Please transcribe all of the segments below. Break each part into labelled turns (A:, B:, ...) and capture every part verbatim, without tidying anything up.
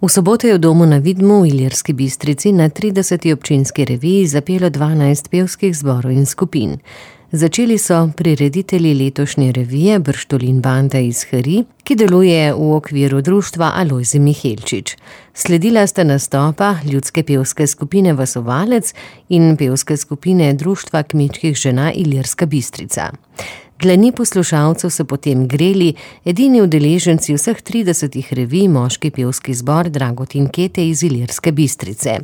A: V soboto je v domu na Vidmu v Ilirski Bistrici na trideseti občinski reviji zapelo dvanajst pevskih zborov in skupin. Začeli so prireditelji letošnje revije Brštolin banda iz Hari, ki deluje v okviru društva Alojzij Mihelčič. Sledila sta nastopa ljudske pevske skupine Vasovalec in pevske skupine društva kmečkih žena Ilirska Bistrica. Dlani poslušalcev so potem greli edini udeleženci vseh tridesetih revij moški pevski zbor Dragutin Kete iz Ilirske Bistrice.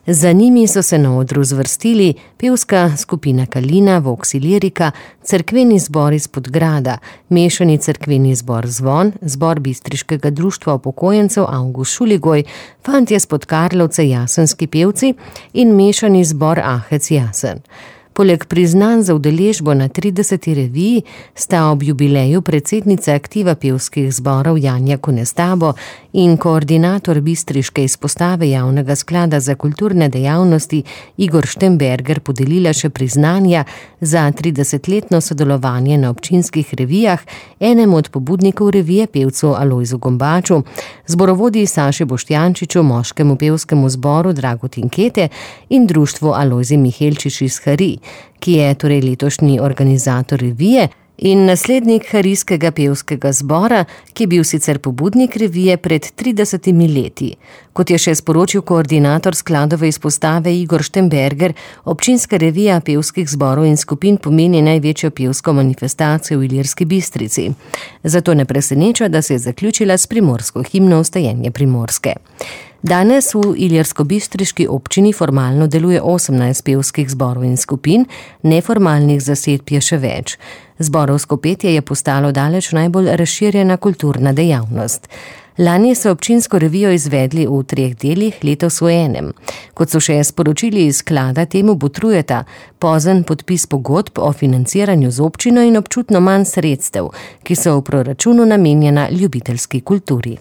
A: Za njimi so se na odru zvrstili pevska skupina Kalina, Vox Ilirika, cerkveni zbor iz Podgrada, mešani cerkveni zbor Zvon, zbor bistriškega društva upokojencev Avgust Šuligoj, fantje s Podkarlovce Jasenski pevci in mešani zbor Ahec Jasen. Poleg priznanj za udeležbo na trideseti reviji sta ob jubileju predsednica aktiva pevskih zborov Janja Konestabo in koordinator bistriške izpostave Javnega sklada za kulturne dejavnosti Igor Štemberger podelila še priznanja za tridesetletno sodelovanje na občinskih revijah enemu od pobudnikov revije pevcu Alojzu Gombaču, zborovodji Saši Boštjančiču, moškemu pevskemu zboru Dragutin Kete in društvu Alojzij Mihelčič iz Hari, ki je torej letošnji organizator revije in naslednik harijskega pevskega zbora, ki je bil sicer pobudnik revije pred tridesetimi leti. Kot je še sporočil koordinator skladove izpostave Igor Štemberger, občinska revija pevskih zborov in skupin pomeni največjo pevsko manifestacijo v Ilirski Bistrici. Zato ne preseneča, da se je zaključila s primorsko himno Vstajenje Primorske. Danes v ilirsko-bistriški občini formalno deluje osemnajst pevskih zborov in skupin, neformalnih zasedb je še več. Zborovsko petje je postalo daleč najbolj razširjena kulturna dejavnost. Lani so občinsko revijo izvedli v treh delih, letos v enem. Kot so še sporočili iz sklada, temu botrujeta pozen podpis pogodb o financiranju z občino in občutno manj sredstev, ki so v proračunu namenjena ljubiteljski kulturi.